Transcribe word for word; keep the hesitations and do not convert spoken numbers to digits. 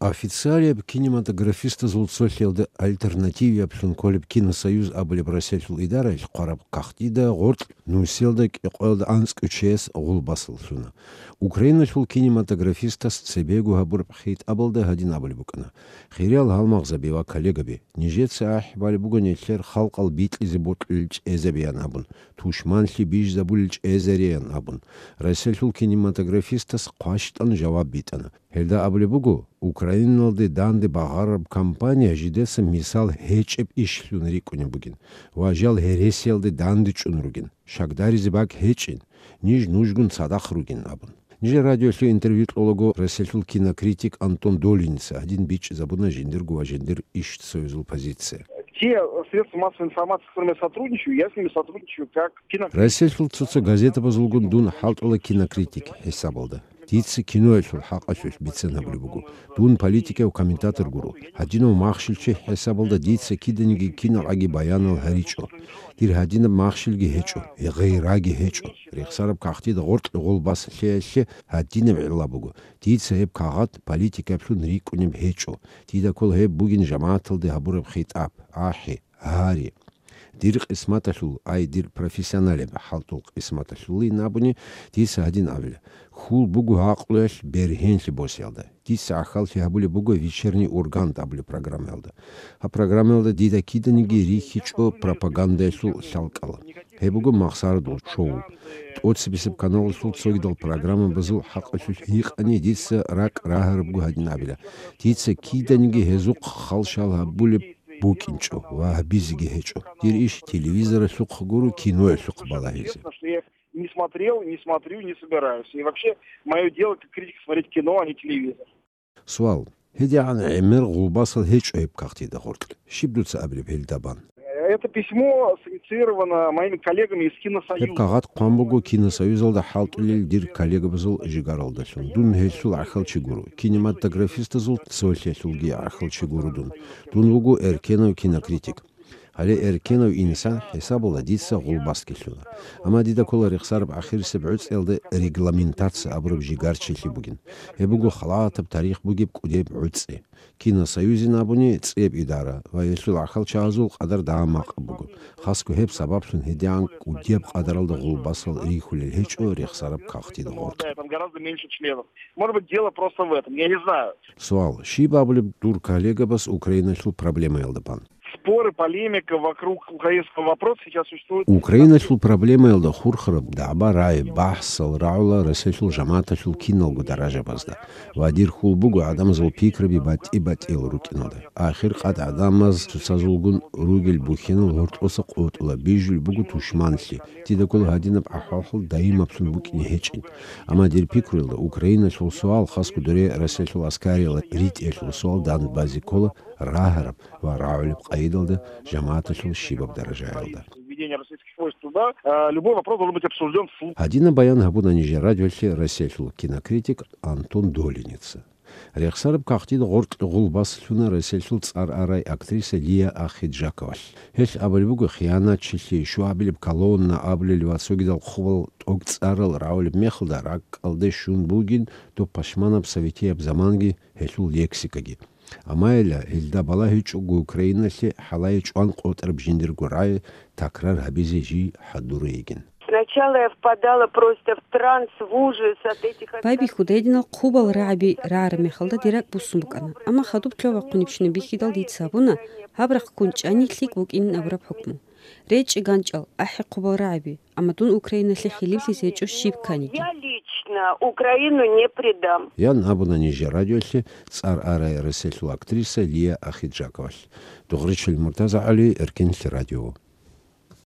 Официалияб кинематографистазул цолъиялда альтернативияблъун кколеб Киносоюз абулеб Россиялъул идараялъ хъвараб кагътида гъоркь нусиялда кӀикъоялда анцӀго чияс гъулбасал лъуна. Украиналъул кинематографистас цебего гьабураб хитӀабалда гьадин абулеб букӀана: «Хириял гьалмагъзаби ва коллегаби, нижеца ахӀи балеб буго нилъер халкъал бикьизе бокьулел чӀезабиян абун, тушманлъи бижизабулел чӀезариян абун». Россиялъул кинематографистас хъващтӀан жаваб битӀана. Гьелда абулеб буго, Украиналде данде багъараб кампания жидеца мисал гьечӀеб ишлъун рикӀкӀунеб бугин ва жал гьересиялде дандечӀун ругин, шагдаризе бакӀ гьечӀин, ниж нужгун цадахъ ругин абун. Нижер радиолъе интервью кьолаго Россиялъул кинокритик Антон Долиница гьадин бичӀчӀизабуна жиндирго ва жиндир ишсоюзул позиция. Те средства массовой информации, с которыми я сотрудничаю, я с ними сотрудничаю как кинокритик. Россиялъул цо-цо газетабазулгун дун хӀалтӀула кинокритик хӀисабалда. Дица киноялъул хӀакъалъулъ бицен гьабулеб буго. Дун политикав комментатор гуро. Гьадинав махщел чи хӀисабалда дица киданиги киналгӀаги баянал гьаричӀо. Дир гьадинаб махщелги гьечӀо, гъейраги гьечӀо. Рехсараб кагътида гъоркь гъулбас лъеялъе гьадинаб гӀилла буго. Дица гьеб кагъат политикаблъун рикӀкӀунеб гьечӀо. Дида ккола гьеб бугин жамагӀаталде гьабураб хитӀаб, ахӀи, гьари. Дир къисматалъул, ай, дир профессионалияб хӀалтӀул къисматалъулин абуни, дица гьадин абила: хьул буго гӀакълуялъ бергьенлъи босиялда. Дица гӀахьаллъи гьабулеб буго «Вечерний Ургант» абулеб программаялда. Гьаб программаялда дида киданиги рихьичӀо пропагандаялъул лъалкӀал. Гьеб буго Махсарадул шоу. ТӀоцебесеб каналалъул цогидал программабазул хӀакъалъулъ гьикъани дица ракӀ рагьарабго гьадин абила: дица киданиги гьезухъ халщал гьабулеб букӀинчӀо ва гьабизеги гьечӀо. Дир иш телевизоралъухъ гуро, киноялъухъ балагьизе. Не смотрел, не смотрю, не собираюсь. И вообще, моё дело как критика смотреть кино, а не телевизор. Суал. ГьедигӀан гӀемер гъулбасал гьечӀо гьеб кагътида гъоркь. Щиб дуца абилеб гьелда бан? Это письмо синициировано моими коллегами из Киносоюза. Гьеб кагъат хъван буго Киносоюзалда хӀалтӀулел дир коллегабазул жигаралдалъун. Дун гьелъул гӀахьалчи гуро, кинематографистазул цолъиялъулги гӀахьалчи гуро дун. Дун вуго эркенав кинокритик. Гьале эркенав инсан хӀисабала дица гъулбасги лъуна. Амма дида ккола рехсараб ахирисеб гӀуцӀиялда регламентация абураб жигарчилъи бугин. Гьеб буго халатаб тарих бугеб кӀудеб гӀуцӀи. Киносоюзин абуни цӀияб идара ва гьелъул гӀахьалчагӀазул къадар дагьа-макъаб буго. Хасго гьеб сабаблъун гьедигӀан кӀудияб къадаралда гъулбасал рихьулел гьечӀо рехсараб кагътида гъоркь. Там гораздо меньше членов. Может быть, дело просто в этом, я не знаю. Суал. Щиб абулеб дур коллегабас Украиналъул проблемаялда бан? Споры, полемика вокруг украинского вопроса сейчас существует. Украиналъул проблемаялда хурхараб дагӀба-рагӀи, бахӀсал рагӀула Россиялъул жамагӀаталъул киналго даражабазда. Ва дир хьул буго гӀадамазул пикраби батӀи-батӀиял рукӀиналда. Ахир къад гӀадамаз цоцазулгун ругел бухьинал гьоркьоса къотӀула, бижулеб буго тушманлъи. Дида ккола гьадинаб гӀахьаллъи даимаблъун букӀине гьечӀин. Амма дир пикруялда Украиналъул суал, хасго дуре Россиялъул аскариялда ритӀиялъул суал Донбазде ккола рагьараб ва рагӀулеб къайдалда жамагӀаталъул щибаб даражаялда. Введение российских войск туда, э, любой вопрос должен быть обсуждён вслух. Гьадинаб баян гьабуна нижер радиолъе Россиялъул кинокритик Антон Долиница. Рехсараб кагътида гъоркь гъулбас лъуна Россиялъул цӀар арай актриса Лия Ахеджаковалъ. Гьелъ абулеб буго хиянатчилъи, щуабилеб колонна абулел ва цогидал хъубал тӀокӀцӀарал рагӀулеб мехалда ракӀалде щун бугин доб пашманаб советияб заманги гьелъул лексикаги. Амма гьелда балагьичӀого Украиналъе хӀалае чӀван къотӀараб жиндирго рагӀи такрар гьабизе жий хӀадур йигин. Сначала я впадала просто в транс, в ужас от этих... Байбихьуда гьединал хъубал рагӀаби рагӀараб мехалда дир ракӀ буссун букӀана, амма хадуб лъо вахъунебщинаб бихьидал дица гьабуна гьаб рахъ ккун чӀани лъикӀ букӀинин абураб хӀукму. РечӀчӀи ганчӀал, ахӀи хъубал рагӀаби, амма дун Украиналъе хилиплъизе гьечӀо щиб кканиги. Я лично Украину не предам. Ян абуна нижер радиолъе цӀар арай Россиялъул актриса Лия Ахеджаковалъ. Дугъричил Муртаза ГӀали, Эркенлъи радио.